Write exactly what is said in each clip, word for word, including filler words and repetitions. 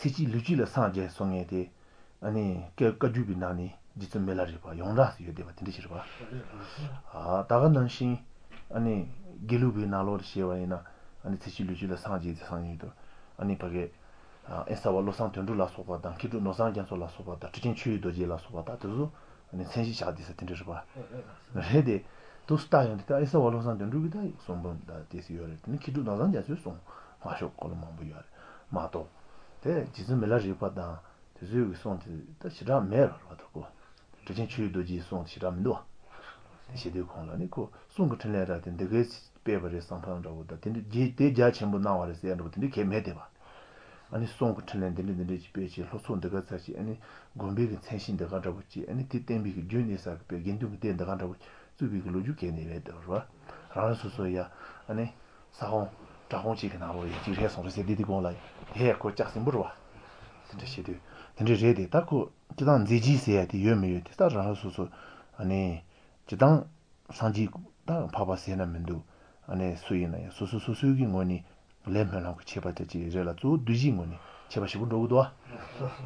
ཚེ་གཅིག་ལུས་གཅིག་ལ་སངས་རྒྱས་སོང་ངེས་ཏེ། ཨ་ནི་བཀའ་བརྒྱུད་པའི་ནང་ནས་རྗེ་བཙུན་མི་ལ་རས་པ་ཡོངས་གྲགས་སུ་ཡོད་བསྡད་པ་དེ་འདྲ་ཞིག་རེད་པ། ད་ག་ནང་བཞིན་ཨ་ནི་དགེ་ལུགས་པའི་ནང་ལོགས་ལ་བཤད་པ་ཡིན་ན་ཨ་ནི་ཚེ་གཅིག་ལུས་གཅིག་ལ་སངས་རྒྱས་ཏེ་སངས་རྒྱས་དུ་ཨ་ནི་ཕ་གི་དབེན་ས་པ་བློ་བཟང་དོན་གྲུབ་ལ་སོགས་པ་དང་མཁས་གྲུབ་ནོར་བཟང་རྒྱ་མཚོ་ལ་སོགས་པ་དང་ཁྲི་ཆེན་ཆོས་ཀྱི་རྡོ་རྗེ་ལ་སོགས་པ་དག་དེ་ཚོ་ཨ་ནི་མཚན་གཞི་བཞག་བསྡད་ས་དེ་འདྲ་རེད་པ། རེད་དེ། དུ་སྟ་ཡོང་དེ་ད་དབེན་ས་པ་བློ་བཟང་དོན་གྲུབ་ཀྱི་ད་གསུང་འབུམ་ད་དེ་སུ་ཡོད་རེད་དེ་ནི་མཁས་གྲུབ་ནོར་བཟང་རྒྱ་མཚོའི་གསུང་མ་ཤོག་སྐོར་ལ་མང་པོ་ཡོད་རེད་མ་གཏོགས། དེ་རྗེ་བཙུན་མི་ལ་རས་པ་དང་དེ་ཚོའི་གི་གསུང་དེ་ད་ཞེ་དྲག་མེད་ར་ར་བ་ད་ཀོ། ཁྲི་ཆེན་ཆོས་ཀྱི་རྡོ་རྗེའི་གསུང་དེ་ཞེ་དྲག་མི་འདུག་བ། དེ་བྱེད་དུས་ཁོང་ལ་ནི་ཁོ་གསུང་གི་འཕྲིན་ལས་ར་དེ་འདི་གའི་སྤེལ་བ་རེད་བསམ་ཕམ་འདྲ་བོ་དང་དེ་འདྲ་རྗེས་དེ་རྒྱ་ཆེན་པོ་གནང་བ་རེད་ཟེར་ཡ་འདྲ་བོ་དེ་འདྲ་གས་མེད་དེ་བ། ཨ་ནི་གསུང་གི་འཕྲིན་ལས་འདི་འདྲ་འདི་འདྲ་ཅིག་སྤེལ་ཅིག་ལྷོ་ཕྱོགས་འདི་ག་ཚར་ཅིག་ཨ་ནི་དགོན་པའི་གི་མཚན་གཞི་འདི་ག་འདྲ་བོ་ཅིག་ཨ་ནི་དེ་བསྟན་པའི་གི་རྒྱུན་གནས་ས་གི་པའི་དགེ་འདུན་གི་སྡེ་འདི་ག་འདྲ་བོ་བཙུགས་པའི་གི་ལོ་རྒྱུས་གས་ནས་མེད་དེ་བ་རང་རང་སོ་སོ་ཡ་ཨ་ནི་ས་ཁོངས་བྲག་ཁོངས་གཅིག་གི་ནང་ལོགས་ཡ་གཅིག་རེད་སོང་རེད་ཟེར་དེ་དེ་གོང་ལ་དེ་ཡ་ཁོ་ལྕགས་སྲིན་པོ་རེད་བ། དེ་འདྲ་བྱེད་དུས་དེ་འདྲ་རེད་དེ་ད་ཁོ་སྤྱིར་བཏང་མཛད་རྗེས་ཟེར་ཡ་དེ་ཡོད་མི་ཡོད་དེ་ད་རང་རང་སོ་སོ་ཨ་ནི་སྤྱིར་བཏང་སངས་རྒྱས་དང་འཕགས་པ་ཟེར་ན་མི་འདུག་ཨ་ནི་སུ་ཡིན་ན་ཡང་སོ་སོ་སོ་སོའི་གི་ངོས་ནས་ལས་སྨོན་ལམ་གྱི་ཁྱད་པར་དེ་ཅིག་རེད་ལ་གཙོ་བོ་གདུལ་བྱའི་ངོས་ནས་ཁྱད་པར་ཞེ་པོ་འགྲོ་གི་འདུག་ཨ།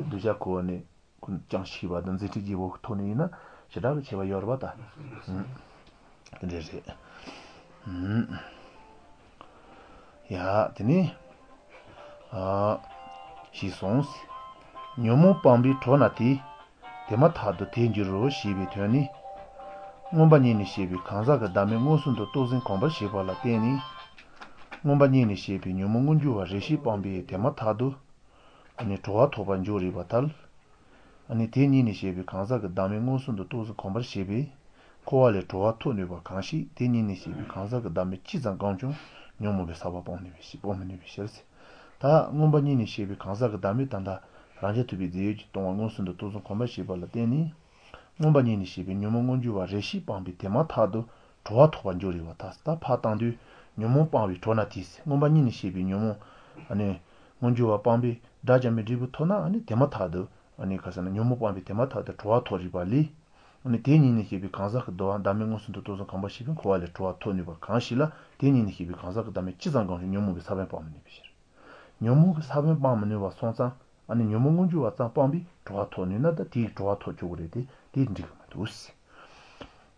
གདུལ་བྱ་ཁོ་བོ་ནི་ཀུན་ཀྱང་ཤེས་པ་དང་མཛད་འཕྲིན་རྒྱས་པོ་ཐོག་ནས་ཡིན་ན་ཞེ་དྲག་གི་ཁྱད་པར་ཡོད་རེད་པ་ད། དེ་འདྲ་རེད། ཡ། དེ་ནས། ཞེས་གསུངས། ཉོན་མོངས་སྤངས་པས་གྲོལ་ན་དེ། དེ་མ་ཐག་ཏུ་དེར་འགྱུར་རོ་ཞེས་པའི་དོན་ནི། མངོན་པ་གཉིས་ནས་བཤད་པའི་གང་ཟག་གི་བདག་མེད་མངོན་སུམ་དུ་རྟོགས་ཟིན་གོམས་པར་བྱས་པ་ལ་བརྟེན་ནས། མངོན་པ་གཉིས་ནས་བཤད་པའི་ཉོན་མོངས་མངོན་གྱུར་བ་རེ་ཞིག་སྤངས་པས་དེ་མ་ཐག་ཏུ། གྲོལ་བ་ཐོབ་པར་འཇོག་རིགས་པར་ཐལ། དེ་གཉིས་ནས་བཤད་པའི་གང་ཟག་གི་བདག་མེད་མངོན་སུམ་དུ་རྟོགས་ཟིན་གོམས་པར་བྱས་པས། འཁོར་བ་ལས་གྲོལ་བ་ཐོབ་ནུས་པ་གང་ཞིག་དེ་གཉིས་ནས་བཤད་པའི་གང་ཟག་གི་བདག་མེད་ཅི་ཙམ་བསྒོམས་ཀྱང་ཉོན་མོངས་པའི་ས་བོན་སྤོང་ནུས་པའི་ཕྱིར་སྤོང་མི་ནུས་པའི་ཕྱིར། ད་མངོན་པ་གཉིས་ནས་བཤད་པའི་གང་ཟག་གི་བདག་མེད་ད་ལྟ་རང་རྐྱ་ཐུབ་པའི་རྫས་ཡོད་ཀྱིས་སྟོང་པ་མངོན་སུམ་དུ་རྟོགས་ཟིན་གོམས་པར་བྱས་པ་ལ་བརྟེན་ནས། མངོན་པ་གཉིས་ནས་བཤད་པའི་ཉོན་མོངས་མངོན་གྱུར་བ་རེ་ཞིག་སྤངས་པའི་དེ་མ་ཐག་ཏུ་གྲོལ་བ་ཐོབ་པར་འཇོག་རིགས་པར་ཐལ་ད་ཕར་བཏང་དུས་ཉོན་མོངས་སྤངས་པས་གྲོལ་ན་དེས་མངོན་པ་གཉིས་ནས་བཤད་པའི་ཉོན་མོངས། མངོན་གྱུར་བ་སྤངས་པས་དགྲ་བཅོམ་པའི་འབྲས་བུ་ཐོབ་ན་དེ་མ་ཐག་ཏུ། ཉོན་མོངས་སྤངས་པའི་དེ་མ་ཐག་ཏུ་གྲོལ་བ་ཐོབ་རིགས་པ་ལས། དེ་གཉིས་ནས་བཤད་པའི་གང་ཟག་གི་བདག་མེད་མངོན་སུམ་དུ་རྟོགས་ཟིན་གོམས་པར་བྱས་པས་འཁོར་བ་ལས་གྲོལ་བ་ཐོབ་ནུས་པ་གང་ཞིག་ལ་དེ་གཉིས་ནས་བཤད་པའི་གང་ཟག་གི་བདག་མེད་ཅི་ཙམ་བསྒོམས་ཀྱང་ཉོན་མོངས་པའི་ས་བོན་སྤང་མི་ནུས་པའི་ཕྱིར། ཉོན་མོངས་ཀྱི་ས་བོན་སྤང་མི་ནུས་པ་སོང་ཙང། ཉོན་མོངས་མངོན་གྱུར་བ་ཙམ་སྤངས་པས་གྲོལ་བ་ཐོབ་ནུས་ན་ད་དེས་གྲོལ་བ་ཐོབ་ཆོག་གི་རེད་དེ་དེ་འགྲིག་གི་མི་འདུག།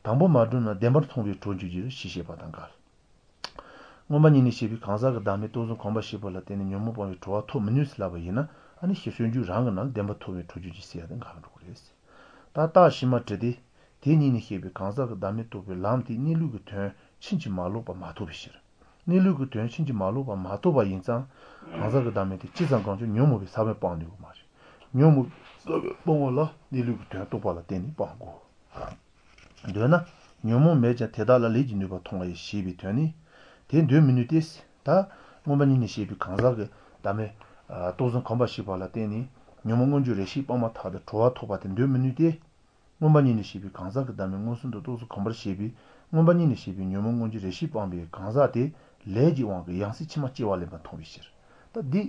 དང་པོ་མ་གྲུབ་ན་བདེན་པར་མཐོང་བས་གྲོལ་འགྱུར་གྱི་ཞེས་བཤད་པ་དང་འགལ། མངོན་པ་གཉིས་ནས་བཤད་པའི་གང་ཟག་གི་བདག་མེད་རྟོགས་ཟིན་གོམས་པར་བྱས་པ་ལ་བརྟེན་ནས་ཉོན་མོངས་སྤངས་པས་གྲོལ་བ་ཐོབ་མི་ནུས་ཟེར་ལབ་པ་ཡིན་ན་ཨ་ནི་ཤེར་སྤྱོད་འཇུག་རང་གི་ནང་བདེན་པ་མཐོང་བས་གྲོལ་འགྱུར་གྱི་ཟེར་ཡ་དེ་འགལ་འགྲོ་གི་རེད། ད་རྟགས་ཕྱི་མ་དྲི་སྟེ། དེ་གཉིས་ནས་བཤད་པའི་གང་ཟག་གི་བདག་མེད་རྟོགས་པའི་ལམ་དེས་གནས་ལུགས་ཀྱི་དོན་ཕྱིན་ཅི་མ་ལོག་པ་མ་རྟོགས་པའི་ཕྱིར། གནས་ལུགས་ཀྱི་དོན་ཕྱིན་ཅི་མ་ལོག་པ་མ་རྟོགས་པ་ཡིན་ཙང། གང་ཟག་གི་བདག་མེད་དེ་ཅི་ཙམ་བསྒོམས་ཀྱང་ཉོན་མོངས་པའི་ས་བོན་སྤང་ནུས་པ་མ་རེད། ཉོན་མོངས་པའི་ས་བོན་སྤོང་བ་ལ་གནས་ལུགས་ཀྱི་དོན་རྟོགས་པ་ལ་བརྟེན་ནས་སྤང་དགོས། འདོད་ན། ཉོན་མོངས་མེད་ཀྱང་དེ་དག་ལ་ལས་ཀྱི་ནུས་པ་མཐོང་བ་ཡིན་ཞེས་པའི་དོན་ནི། དེ་འདོད་མི་ནུས་ཏེ། ད། མངོན་པ་གཉིས་ནས་བཤད་པའི་གང་ཟག་གི་བདག་མེད། རྟོགས་ཟིན་གོམས་པར་བྱས་པ་ལ་བརྟེན་ནས། ཉོན་མོངས་མངོན་གྱུར་རེ་ཞིག་སྤངས་མ་ཐག་ཏུ་གྲོལ་བ་ཐོབ་པ་དེ་འདོད་མི་ནུས་ཏེ། མངོན་པ་གཉིས་ནས་བཤད་པའི་གང་ཟག་གི་བདག་མེད་མངོན་སུམ་དུ་རྟོགས་ཟིན་གོམས་པར་བྱས་པས་མངོན་པ་གཉིས་ནས་བཤད་པའི་ཉོན་མོངས་མངོན་གྱུར་རེ་ཞིག་སྤངས་པའི་གང་ཟག་དེ། ལས་ཀྱི་དབང་གིས་ཡང་སྲིད་ཕྱི་མ་སྐྱེ་བ་ལེན་པར་མཐོང་བའི་ཕྱིར། ད་འདི།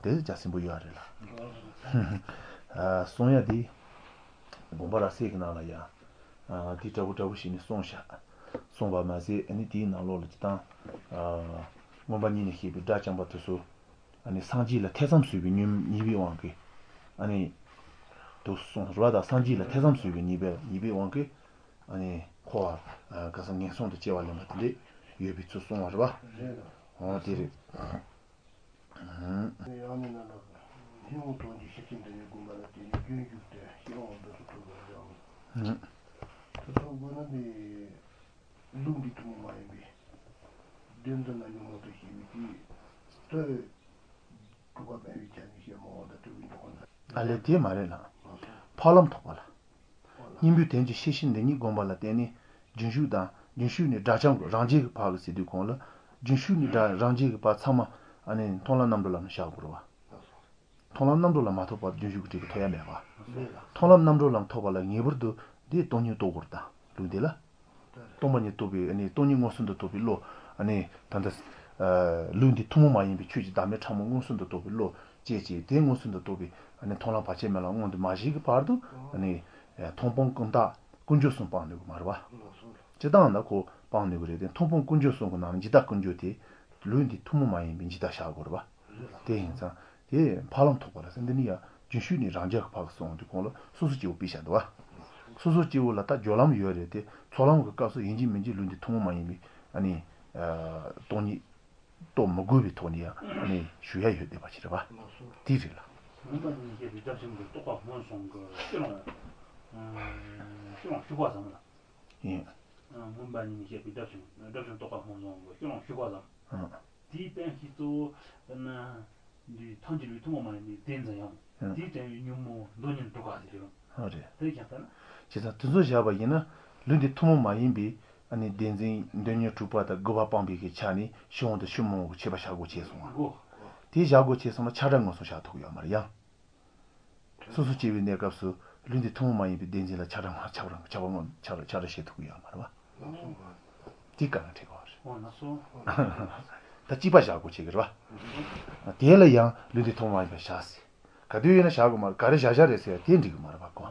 དེ་རྒྱ་སྲིན་པོ་ཡོད་རེད་ལ། གསུང་ཡ་འདི། དགོངས་པ་རབ་གསལ་གྱི་ནང་ལ་ཡང། དེ་འདྲ་བོ་འདྲ་བོ་ཞིག་ནི་གསུངས་བཞག། གསུངས་པ་མ་ཟད་ནི་དེའི་ནང་ལོགས་ལ་སྤྱིར་བཏང། མངོན་པ་གཉིས་ནས་བཤད་པའི་དགྲ་བཅོམ་པ་དེ་ཚོ། སངས་རྒྱས་ལ་ཐེ་ཚོམ་ཟོས་པའི་ཉེས་པའི་དབང་གིས། དུ་གསུངས་རེད་པ་དང་སངས་རྒྱས་ལ་ཐེ་ཚོམ་ཟོས་པའི་ཉེས་པའི་ཉེས་པའི་དབང་གིས། འཁོར་བ་ག་ས་ངན་སོང་དུ་སྐྱེ་བ་ལེན་པ་དེ་འདྲས་ཡོད་པའི་ཚུལ་གསུངས་པ་རེད་པ། དེ་རེད། ཡང་ནི་ན་ལ། སྙིང་པོ་དོན་གྱི་ཤེར་ཕྱིན་འདི་ཉིད་བསྒོམ་པ་ལ་བརྟེན་ནས་རྒྱུན་ཞུགས་ཏེ་ཤེས་དབང་འདི་སུ་ཐོབ་པར་བྱའོ། དེ་ཐོབ་དགོས་ན་ནི། ལུགས་འདི་ཐུན་མོང་མ་ཡིན་པའི། བདེན་འཛིན་ལ་ཉོན་མོངས་དུ་ཞེན་པའི་དུས། དེ། དྲུག་པ་སྤེལ་བའི་ཆ་ནས་ཤེས་མོངས་དང་སྤྲུལ་པའི་འཇུག་པ་ལ། ཨ་ལས་དེ་མ་རེད་ལགས། འཕགས་ལམ་ཐོབ་པ་ལ། སྙིང་པོའི་དོན་གྱི་ཤེར་ཕྱིན་འདི་ཉིད་བསྒོམ་པ་ལ་བརྟེན་ནས་རྒྱུན་ཞུགས་དང་རྒྱུན་ཞུགས་ནས་དགྲ་བཅོམ་རང་རྒྱལ་གྱི་བར་གྱི་ཟེར་དུས་གོང་ལ། རྒྱུན་ཞུགས་ནས་དགྲ་རང་རྒྱལ་གྱི་བར་ཚང་མ་མཐོང་ལམ་རྣམ་གྲོལ་ལམ་ལ་བཞག་དགོས་རེད་བ། མཐོང་ལམ་རྣམ་གྲོལ་ལམ་མ་ཐོབ་པར་རྒྱུན་ཞུགས་ཀྱི་འབྲས་བུ་ཐོབ་ཡ་མེད་པ། མཐོང་ལམ་རྣམ་གྲོལ་ལམ་ཐོབ་པ་ལ་ངེས་པར་དུ་དེའི་སྟོང་ཉིད་རྟོགས་དགོས་རེད་ད་ལུགས་འདི་ལ། སྟོང་པ་ཉིད་རྟོགས་པའི་སྟོང་ཉིད་མངོན་སུམ་དུ་རྟོགས་པའི་བློ། ད་ལྟ། ལུགས་འདི་ཐུན་མོང་མ་ཡིན་པའི་ཆོས་ཀྱི་བདག་མེད་ཕྲ་མོ་མངོན་སུམ་དུ་རྟོགས་པའི་བློ་སྐྱེས་ཀྱི་དེ་མངོན་སུམ་དུ་རྟོགས་པའི་མཐོང་ལམ་བར་ཆད་མེད་ལམ་མངོན་དུ་མ་བྱས་ཀྱི་བར་དུ། མཐོང་སྤང་ཀུན་བཏགས་ཀུན་སྦྱོར་གསུམ་སྤང་ནུས་ཀྱི་མ་རེད་པ། སྤྱིར་བཏང་ན་ཁོ་སྤང་ནུས་ཀྱི་རེད་དེ་མཐོང་སྤང་ཀུན་སྦྱོར་གསུམ་གྱི་ནང་ནས་འཇིག་ལྟ་ཀུན་སྦྱོར་དེ། ལུགས་འདི་ཐུན་མོང་མ་ཡིན་པའི་འཇིག་ལྟ་བཞག་དགོས་རེད་པ། དེ་ཡིན་ཙང་དེ་འཕགས་ལམ་ཐོབ་པ་ལ་ཟེར་འདི་ནི་ཡང་རྒྱུན་ཞུགས་ནི་རང་རྒྱལ་གྱི་འཕགས་སོང་དུས་གོང་ལ་སོ་སོ་སྐྱེ་བོ་པི་ཤ་འདུ་བ། སོ་སོ་སྐྱེ་བོ་ལ་ད་སྦྱོར་ལམ་ཡོད་རེད་དེ་ཚོགས་ལམ་གྱི་སྐབས་སུ་ཡིན་གཅིག་མིན་གཅིག་ལུས་འདི་ཐུན་མོང་མ་ཡིན་པའི་ཨ་ནི། སྟོང་ཉིད་རྟོགས་མི་དགོས་པའི་ཐོག་ནས་ཡང་ཨ་ནི་ཞུ་ཡ་ཡོད་བསྡད་པ་ཞིག་རེད་པ། དེ་རེད་ལ། མུན་པ་གཉིས་བཤད་པའི་དགྲ་བཅོམ་པའི་རྟོགས་པ་སྔོན་སོང་གི་ཤི་ལོང། ཤི་ལོང་ཞུགས་པ་ཙམ་ལ། ཡིན། མུན་པ་གཉིས་བཤད་པའི་དགྲ་བཅོམ་དགྲ་བཅོམ་རྟོགས་པ་སྔོན་སོང་གི་ཤི་ལོང་ཞུགས་པ་ཙམ། དེའི་དཔོན་གྱི་གཙོ་བོ་ནི། འདིའི་ཐང་གི་ལུས་ཐུན་མོང་མ་ཡིན་པའི་བདེན་འཛིན་ཡང། དེའི་དྲན་པའི་ཉོན་མོངས་མདོ་ཉིད་དྲུག་ག་ཟེར་རོ། རེད། དེ་ཀྱང་ལྟར་ན། བྱས་ཙང་དེ་ཚོ་བཞག་པ་ཡིན་ན། ལུས་འདི་ཐུན་མོང་མ་ཡིན་པའི་བདེན་འཛིན་འདོད་ཉོན་དྲུག་པ་དང་དགུ་པ་སྤངས་པའི་གི་ཆ་ནས་ཕྱི་འོང་དང་ཕྱི་མོ་འོང་གི་བྱེད་པ་བཞག་དགོས་བྱས་སོང་ང། དེ་བཞག་དགོས་བྱས་སོང་ན་ཆགས་བྲལ་ངོ་སོ་བཞག་ཐུབ་ཀྱི་ཡོད་མ་རེད་ཡང། སོ་སོ་སྐྱེ་བའི་གནས་སྐབས་སུ་ལུས་འདི་ཐུན་མོང་མ་ཡིན་པའི་བདེན་འཛིན་ལ་ཆགས་བྲལ་ཆགས་བྲལ་ཆགས་བྲལ་ཆགས་བྲལ་བྱེད་ཐུབ་ཀྱི་ཡོད་མ་རེད་བ། དེ་ག་ལ་འགྲིག་གི་རེད། ད་གཅིག་པ་བཞག་དགོས་བྱེད་ཀྱི་རེད་བ། དེ་ལ་ཡང་ལུས་འདི་ཐུན་མོང་མ་ཡིན་པ་བཞག་ཟེར། ག་དུས་ཡིན་ན་བཞག་དགོས་མ་རེད་ག་རེ་བཞག་བཞག་རེད་ཟེར་ཡ་དེ་འགྲིག་གི་མ་རེད་བ་གོ།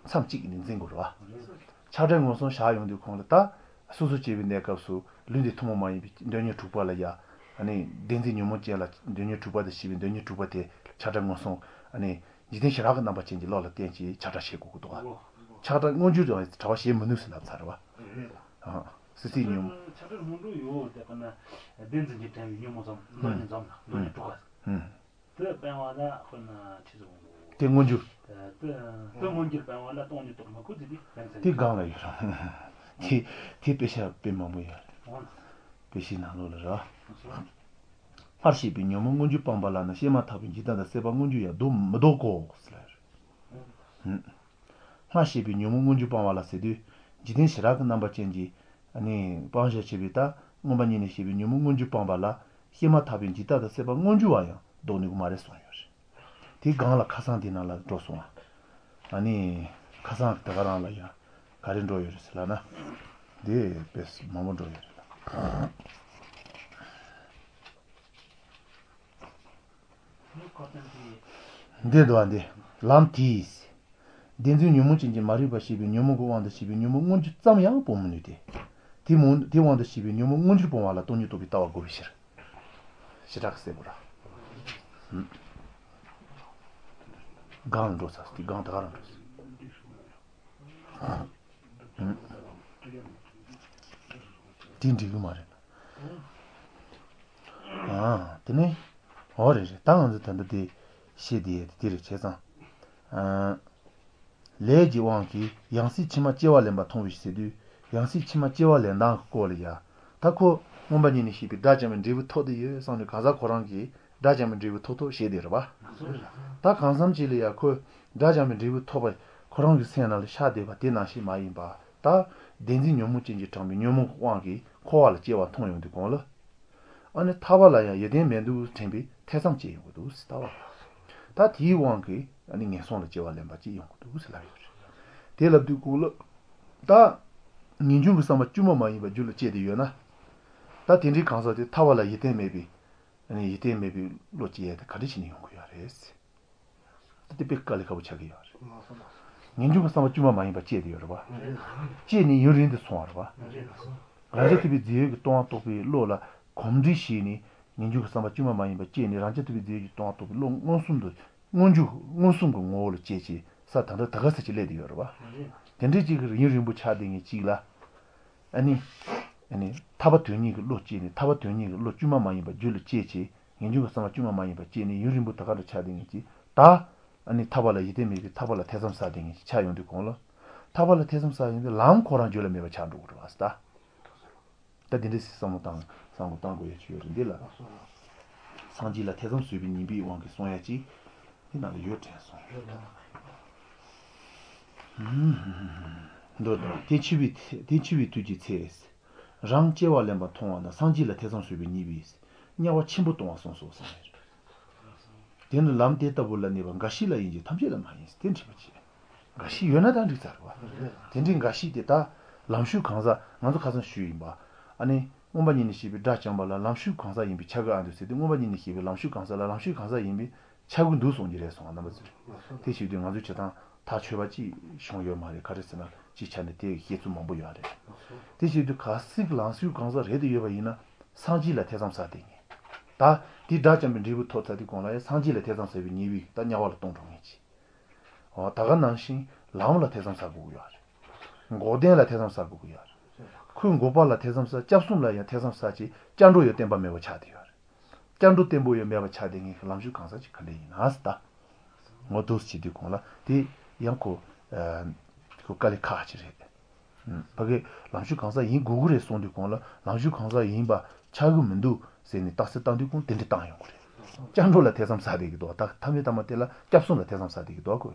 མཚམས་གཅིག་ནས་འཛིན་དགོས་རེད་བ། ཆགས་བྲལ་ངོ་སོང་བཞག་ཡོང་དུས་ཁོང་ལ་ད། སོ་སོ་སྐྱེ་བའི་གནས་སྐབས་སུ་ལུས་འདི་ཐུན་མོང་མ་ཡིན་པའི་འདོད་ཉོན་དྲུག་པ་ལ་ཡ། བདེན་འཛིན་ཉོན་མོངས་ཅན་ལ་འདོད་ཉོན་དྲུག་པ་དང་བཞི་པའི་འདོད་ཉོན་དྲུག་པ་དེ་ཆགས་བྲལ་ངོ་སོང། འཇིག་རྟེན་ཞི་རགས་ཀྱི་རྣམ་པ་ཅན་གྱི་བློ་ལ་བརྟེན་ཅིང་ཆགས་བྲལ་བྱེད་དགོས་ཀྱི་འདུག་ག། ཆགས་བྲལ་མངོན་གྱུར་དང་བྲལ་བ་བྱེད་མི་ནུས་སུ་ལབ་ཚར་བ། སྲིད་རྩེའི་ཉོན་མོངས། ཆགས་བྲལ་སྔོན་འགྲོ་ཡོད་དེ་ཀ་ན་བདེན་འཛིན་གྱི་དྲན་པའི་ཉོན་མོངས་ཙམ་འདོད་ཉོན་ཙམ་ལ་འདོད་ཉོན་དྲུག་ག། དེ་སྤང་བ་ལ་དཔེར་ན་ཁྲི་ཟིག་འོང། དེ་མངོན་གྱུར། དེ་མངོན་གྱུར་སྤང་བ་ལ་སྟོང་ཉིད་རྟོགས་མི་དགོས་དེ་དེ་སྒང་ལ་ཡོད་རང། དེ་དེ་དཔེ་ཆ་དཔེ་མང་པོ་ཡོད་རེད། དཔེ་ཆའི་ནང་ལོགས་ལ་ར། སྔར་བཤད་པའི་ཉོན་མོངས་མངོན་གྱུར་སྤངས་པ་ལ་ནི་བཤད་མ་ཐག་པའི་འཇིག་ལྟ་དང་སྲེད་པ་མངོན་གྱུར་ཡང་ལྡོག་མི་ལྡོག་གོ། སྔར་བཤད་པའི་ཉོན་མོངས་མངོན་གྱུར་སྤང་བ་ལ་ཟེར་དུས་འཇིག་རྟེན་ཞི་རགས་ཀྱི་རྣམ་པ་ཅན་གྱི། སྤང་བྱ་བྱེད་པའི་ད་མངོན་པ་གཉིས་ནས་བཤད་པའི་ཉོན་མོངས་མངོན་གྱུར་སྤངས་པ་ལ་བཤད་མ་ཐག་པའི་འཇིག་ལྟ་དང་སྲེད་པ་མངོན་གྱུར་བ་ཡང་ལྡོག་ནུས་ཀྱི་མ་རེད་གསུངས་ཡོད་རེད། དེའི་སྒང་ལ་ཁ་སང་དེ་ནང་ལ་འགྲོ་སོང་ཨ་ནི་ཁ་སང་དེ་ག་རང་ལ་ཡང་ག་རེ་འགྲོ་ཡོད་རེད་ཟེར་ལབ་ན། དེ་དཔེ་མང་པོ་འགྲོ་ཡོད་རེད་ལ། འདི་འདུག་བ་འདི་ལམ་དེས། བདེན་འཛིན་ཉོན་མོངས་ཅན་གྱི་མ་རིག་པ་ཞེས་པའི་ཉོན་མོངས་ཀྱི་དབང་དུ་བྱས་པའི་ཉོན་མོངས་མངོན་གྱུར་ཙམ་ཡང་སྤོང་མི་ནུས་ཏེ། དེ་དབང་དུ་བྱས་པའི་ཉོན་མོངས་མངོན་གྱུར་སྤོང་བ་ལ་སྟོང་ཉིད་རྟོགས་པའི་ལྟ་བ་དགོས་པའི་ཕྱིར། ཞེ་དྲག་གསལ་པོ་ར། སྒང་ལ་འགྲོ་ས་དེ་སྒང་ད་ག་རང་འགྲོ་ས། དེ་འགྲིག་གི་མ་རེད། དེ་ནས་འོ་རེད་རེད་ད་ང་ཚོ་ད་ལྟ་དེ་བཤད་དེ་ཡས་དེ་རེད་བྱས་ཙང། ལས་ཀྱི་དབང་གིས་ཡང་སྲིད་ཕྱི་མ་སྐྱེ་བ་ལེན་པ་མཐོང་བའི་ཟེར་དུས་ཡང་སྲིད་ཕྱི་མ་སྐྱེ་བ་ལེན་སྟངས་ཀྱི་སྐོར་ལ་ཡ། ད་ཁོ་མངོན་པ་གཉིས་ནས་བཤད་པའི་དགྲ་བཅོམ་པའི་འབྲས་བུ་ཐོབ་བསྡད་ཡོད་བསམ་ནས་གང་ཟག་ཁོ་རང་གིས་དགྲ་བཅོམ་པའི་འབྲས་བུ་ཐོབ་ཐོབ་བྱས་བསྡད་རེད་པ། ད་གང་བསམ་གྱིས་ལ་ཡ་ཁོས་དགྲ་བཅོམ་པའི་འབྲས་བུ་ཐོབ་པ་ཁོ་རང་གི་སེམས་ནང་ལ་ཤར་བསྡད་པ་དེ་ནང་བཞིན་མ་ཡིན་པ་ད། བདེན་འཛིན་ཉོན་མོངས་ཅན་གྱིས་དྲངས་པའི་ཉོན་མོངས་ཀྱི་དབང་གིས་འཁོར་བ་ལ་སྐྱེ་བ་མཐོང་ཡོང་དུས་གང་ལ། ཨ་ནི་ཐར་པ་ལ་ཡང་ཡིད་བརྟན་མི་འདུག་དྲན་པའི་ཐེ་ཚོམ་སྐྱེ་ཡོང་གི་འདུག་ཟེར་ལྟ་བ། ད་དེའི་དབང་གིས་ཨ་ནི་ངན་སོང་ལ་སྐྱེ་བ་ལེན་པ་ཅིག་ཡོང་གི་འདུག་ཟེར་ལབ་ཡོད་རེད། དེ་ལབ་དུས་གང་ལ། ད། ངེས་འབྱུང་གི་བསམ་པ་བཅོས་མ་མ་ཡིན་པ་རྒྱུད་ལ་སྐྱེས་ཏེ་ཡོད་ན། ད་དེ་འདྲའི་གང་ཟག་དེ་ཐར་པ་ལ་ཡིད་བརྟན་མེད་པའི། ཡིད་བརྟན་མེད་པའི་བློ་སྐྱེ་ཡས་དེ་ག་འདྲ་བྱས་ནས་ཡོང་གི་ཡོད་རེད། ད་དེ་དཔེ་དཀའ་ལས་ཁག་པོ་ཆགས་ཀྱི་ཡོད་རེད། ངེས་འབྱུང་གི་བསམ་པ་བཅོས་མ་མ་ཡིན་པ་སྐྱེས་ཏེ་ཡོད་རེད་པ། སྐྱེས་ནས་ཡུན་རིང་དུ་སོང་བ་རེད་པ། རང་རྐྱ་ཐུབ་པའི་རྫས་ཡོད་ཀྱིས་སྟོང་པ་རྟོགས་པའི་བློ་ལ་གོམས་འདྲིས་བྱས་ནས་ངེས་འབྱུང་གི་བསམ་པ་བཅོས་མ་མ་ཡིན་པ་སྐྱེས་ནས་རང་རྐྱ་ཐུབ་པའི་རྫས་ཡོད་ཀྱིས་སྟོང་པ་རྟོགས་པའི་བློ་མངོན་སུམ་དུ་མངོན་གྱུར་མངོན་སུམ་གྱི་ངོ་བོ་ལ་སྐྱེས་བྱས་ས་ད་ལྟ་ད་ག་ས་ཅིག་སླེབས་ཏེ་ཡོད་རེད་པ། དེ་འདྲའི་ཅིག་གི་ཡུན་རིང་པོ་ཆགས་བསྡད་མཁན་ཅིག་ལ། ཨ་ནི། ཨ་ནི། ཐར་པ་དོན་གཉེར་གྱི་བློ་སྐྱེས་ནས་ཐར་པ་དོན་གཉེར་གྱི་བློ་བཅོས་མ་མ་ཡིན་པ་རྒྱུད་ལ་སྐྱེས་བྱས་ངེས་འབྱུང་གི་བསམ་པ་བཅོས་མ་མ་ཡིན་པ་སྐྱེས་ནས་ཡུན་རིང་པོ་ད་ག་འདྲ་ཆགས་བསྡད་མཁན་ཅིག་ད། ཨ་ནི་ཐར་པ་ལ་ཡིད་བརྟན་མེད་པའི་ཐར་པ་ལ་ཐེ་ཚོམ་ཟ་བསྡད་མཁན་ཅིག་ཆགས་ཡོང་དུས་གང་ལ། ཐར་པ་ལ་ཐེ་ཚོམ་ཟ་ཡོང་དུས་ལམ་ཁོ་རང་རྒྱུད་ལ་མེད་པ་ཆགས་འགྲོ་གི་རེད་བ་ད། ད་དེ་འདྲའི་བསམ་བློ་བཏང་བསམ་བློ་བཏང་དགོས་ཡ་ཅིག་ཡོད་རེད་འདི་ལ། སངས་རྒྱས་ལ་ཐེ་ཚོམ་ཟོས་པའི་ཉེས་པའི་དབང་གིས་གསུང་ཡ་ཅིག་འདི་ནང་ལ་ཡོད་དྲན་སོང། འདོད། དེ་འཆི་བའི་དེ་འཆི་བའི་དུས་ཀྱི་ཚེ། རང་སྐྱེ་བ་ལེན་པ་མཐོང་བ་ན་སངས་རྒྱས་ལ་ཐེ་ཚོམ་ཟོས་པའི་ཉེས་པས་དམྱལ་བ་ཆེན་པོར་ལྟུང་བར་གསུངས་སོ་གསུངས་པ་རེད། དེ་ནི་ལམ་དེ་ལྟ་བུ་ལ་གནས་པ་འགའ་ཞིག་ལ་ཡིན་གྱི་ཐམས་ཅད་ལ་མ་ཡིན་དེ་འདྲི་བར་བྱེད། འགའ་ཞིག་ཡོད་ན་ད་འགྲིག་ཚར་བ། དེ་འདྲའི་འགའ་ཞིག་དེ་ད་ལམ་ཞུགས་གང་ཟག་ང་ཚོ་ཁ་སང་ཞུས་ཡིན་པ། ཨ་ནི། མངོན་པ་གཉིས་ནས་བཤད་པའི་དགྲ་བཅོམ་པ་ལ་ལམ་ཞུགས་གང་ཟག་ཡིན་པའི་ཆ་ག་ཨ་འདུག་ཟེར་ཏེ་མངོན་པ་གཉིས་ནས་བཤད་པའི་ལམ་ཞུགས་གང་ཟག་ལ་ལམ་ཞུགས་གང་ཟག་ཡིན་པའི་ཆ་གི་འདུག་གསུངས་ཀྱི་རེད་སོང་རྣམ་པ་ཚོས། དེ་ཞུས་དུས་ང་ཚོའི་བྱེད་སྟངས་ཐག་ཆོད་པ་ཅིག་བྱུང་ཡོད་མ་རེད་ག་རེ་ཟེར་ན་སྤྱིའི་ཆ་ནས་དེ་བཤད་ཚུལ་མང་པོ་ཡོད་རེད། དེ་ཞུས་དུས་གལ་སྲིད་ལམ་ཞུགས་གང་ཟག་རེད་དུ་ཡོད་པ་ཡིན་ན་སངས་རྒྱས་ལ་ཐེ་ཚོམ་ཟ་དེ་ངེས། ད་དེ་དགྲ་བཅོམ་པའི་འབྲས་བུ་ཐོབ་ཚར་དུས་གོང་ལ་ཡང་སངས་རྒྱས་ལ་ཐེ་ཚོམ་ཟ་བའི་ཉེས་དམིགས་ད་དམྱལ་བ་ལ་ལྟུང་འགྲོ་ངེས་ཀྱི། ད་ག་ནང་བཞིན་ལམ་ལ་ཐེ་ཚོམ་ཟ་དགོས་ཀྱི་ཡོད་རེད། འགོག་བདེན་ལ་ཐེ་ཚོམ་ཟ་དགོས་ཀྱི་ཡོད་རེད། ཁོས་འགོག་པ་ལ་ཐེ་ཚོམ་ཟ་སྐྱབས་གསུམ་ལ་ཡང་ཐེ་ཚོམ་ཟ་བྱས་སྐྱབས་འགྲོ་ཡང་བརྟན་པ་མེད་པ་ཆགས་བསྡད་ཡོད་རེད། སྐྱབས་འགྲོ་བརྟན་པོ་ཡང་མེད་པ་ཆགས་བསྡད་མཁན་གྱི་ལམ་ཞུགས་གང་ཟག་ཅིག་ག་འདྲ་ཡིན་ན་ད། ངོ་བསྡུ་བྱེད་དུས་གོང་ལ་དེ་ཡང་ཁོ། ཁོ་དཀའ་ལས་ཁག་ཅིག་རེད། ཕ་གིས་ལམ་ཞུགས་གང་ཟག་ཡིན་དགོས་ཀྱི་རེད་གསུངས་དུས་གོང་ལ་ལམ་ཞུགས་གང་ཟག་ཡིན་པ་ཆགས་ཀྱི་མི་འདུག་ཟེར་ནས་རྟགས་གསལ་བཏང་དུས་གོང་དེ་འདྲ་བཏང་ཡོང་གི་རེད། སྐྱབས་འགྲོ་ལ་ཐེ་ཚོམ་ཟ་བསྡད་ཀྱི་འདུག་ད་ཐ་མའི་ཐ་མ་དེ་ལ་སྐྱབས་གསུམ་ལ་ཐེ་ཚོམ་ཟ་བསྡད་ཀྱི་འདུག་གོ།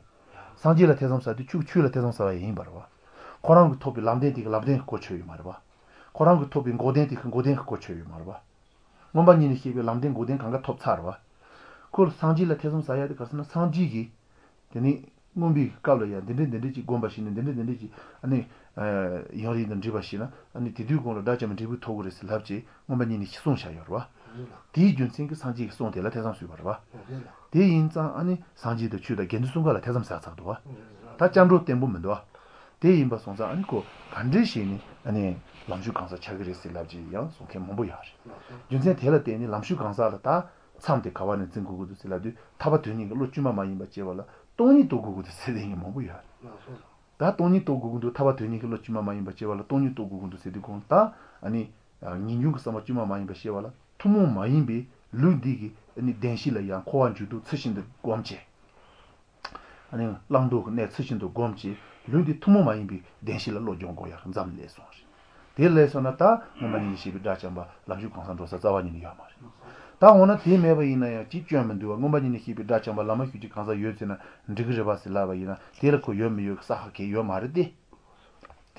སངས་རྒྱས་ལ་ཐེ་ཚོམ་ཟ་དུས་ཆོས་ཆོས་ལ་ཐེ་ཚོམ་ཟ་བ་ཡིན་པ་རེད་བ། ཁོ་རང་གིས་ཐོབ་པའི་ལམ་བདེན་དེ་གི་ལམ་བདེན་གྱི་གོ་ཆོད་ཡོད་མ་རེད་བ། ཁོ་རང་གིས་ཐོབ་པའི་འགོག་བདེན་དེ་གི་འགོག་བདེན་གྱི་གོ་ཆོད་ཡོད་མ་རེད་བ། མངོན་པ་གཉིས་ནས་བཤད་པའི་ལམ་བདེན་འགོག་བདེན་གང་ག་ཐོབ་ཚར་བ། ཁོ་ལ་སངས་རྒྱས་ལ་ཐེ་ཚོམ་ཟ་ཡ་དེ་ག་ཟེར་ན་སངས་རྒྱས་ཀྱིས། དེ་ནས་མངོན་པའི་སྐབས་ལ་ཡང་འདི་འདྲ་འདི་འདྲ་ཅིག་བསྒོམ་པ་ཞིག་ནི་འདི་འདྲ་འདི་འདྲ་ཅིག་ཨ་ནི། ཡང་རིགས་དང་འདྲིས་པ་ཞིག་ན་ཨ་ནི་དེ་དུས་གོང་ལ་དགྲ་བཅོམ་པའི་འབྲས་བུ་ཐོབ་གི་རེད་ཟེར་ལབ་ཅེས་མངོན་པ་གཉིས་ནས་གསུངས་བཞག་ཡོད་རེད་བ། དེའི་རྒྱུ་མཚན་གྱིས་སངས་རྒྱས་ཀྱི་གསུང་དེ་ལ་ཐེ་ཚོམ་ཟོས་པ་རེད་བ། དེ་ཡིན་ཙང་ཨ་ནི་སངས་རྒྱས་དང་ཆོས་དང་དགེ་འདུན་གསུམ་ག་ལ་ཐེ་ཚོམ་ཟ་ཚར་འདུག་བ། ད་སྐྱབས་འགྲོ་བརྟན་པོ་མི་འདུག་བ། དེ་ཡིན་པ་སོང་ཙང་ཨ་ནི་ཁོ་ག་འདྲ་བྱས་ནས་ཨ་ནི་ལམ་ཞུགས་གང་ཟག་ཆགས་ཀྱི་རེད་ཟེར་ལབ་ཅེས་ཡང་གསུང་མཁན་མང་པོ་ཡོད་རེད། རྒྱུ་མཚན་དེ་ལ་བརྟེན་ནས་ལམ་ཞུགས་གང་ཟག་ལ་ད་མཚམས་དེ་ག་བ་ནས་འཛིན་དགོས་ཀྱི་འདུག་ཟེར་ལབ་དུས་ཐར་པ་དོན་གཉེར་གྱི་བློ་བཅོས་མ་མ་ཡིན་པ་སྐྱེ་བ་ལ་སྟོང་ཉིད་རྟོགས་དགོས་ཀྱི་འདུག་ཟེར་མཁན་མང་པོ་ཡོད་རེད། ད་སྟོང་ཉིད་རྟོགས་དགོས་ཀྱི་འདུག་ཐར་པ་དོན་གཉེར་གྱི་བློ་བཅོས་མ་མ་ཡིན་པ་སྐྱེ་བ་ལ་སྟོང་ཉིད་རྟོགས་དགོས་ཀྱི་འདུག་ཟེར་དུས་གོང་ད་ཨ་ནི་ངེས་འབྱུང་གི་བསམ་པ་བཅོས་མ་མ་ཡིན་པ་སྐྱེ་བ་ལ་ཐུན་མོང་མ་ཡིན་པའི་ལུགས་འདི་གི་བདེན་བཞི་ལ་ཡང་འཁོར་བ་འཇུག་ལྡོག་ཚུལ་བཞིན་དུ་བསྒོམ་བྱས། བླང་དོར་གྱི་གནས་ཚུལ་བཞིན་དུ་བསྒོམ་བྱས་ལུགས་འདི་ཐུན་མོང་མ་ཡིན་པའི་བདེན་བཞི་ལ་བློ་སྦྱོང་དགོས་ཡག་མཚམས་སླེབས་སོང་རེད། དེ་སླེབས་སོང་ན་ད་མངོན་པ་གཉིས་ནས་བཤད་པའི་དགྲ་བཅོམ་པ་ལམ་ཞུགས་གང་ཟག་འགྲོ་ས་རྩ་བ་ཉིད་ནས་ཡོད་མ་རེད། ད་འོ་ན་དེ་མེད་པ་ཡིན་ན་ཡང་ཅིག་སྐྱོན་མི་འདུག་བ་མངོན་པ་གཉིས་ནས་བཤད་པའི་དགྲ་བཅོམ་པ་ལམ་མ་ཞུགས་ཀྱི་གང་ཟག་ཡོད་ཚེ་ན་འགྲིག་གི་རེད་པ་ཟེར་ལབ་པ་ཡིན་ན་དེ་ལ་ཁོ་ཡོད་མི་ཡོད་ཀྱི་ས་ཧ་གས་ཡོད་མ་རེད་དེ།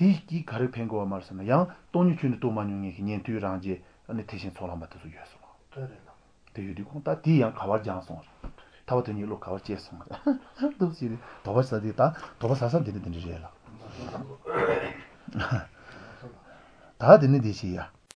དེ་གིས་ག་རེ་ཕན་དགོས་བ་མ་རེད་ཟེར་ན་ཡང་སྟོང་ཉིད་ཁྱོན་ནས་རྟོགས་མ་མྱོང་མཁན་གྱི་ཉན་ཐོས་རང་རྒྱལ་ནི་ཐེག་ཆེན་ཚོགས་ལམ་པ་དེ་ཚོ་ཡོད་སོང་བ། དེ་ཡོད་དུས་ཁོང་ད་དེ་ཡང་ག་བར་སྦྱངས་སོང་རེད། ཐར་པ་དོན་གཉེར་བློ་ག་བར་སྐྱེས་སོང་རེད། འདུག་ཟེར་དུས་དོགས་པ་ཟ་དུས་ད་དོགས་པ་ཟ་ས་འདི་འདྲ་འདི་འདྲ་རེད་ལགས། ད་དེ་ནི་འདི་བྱེད་ཡ།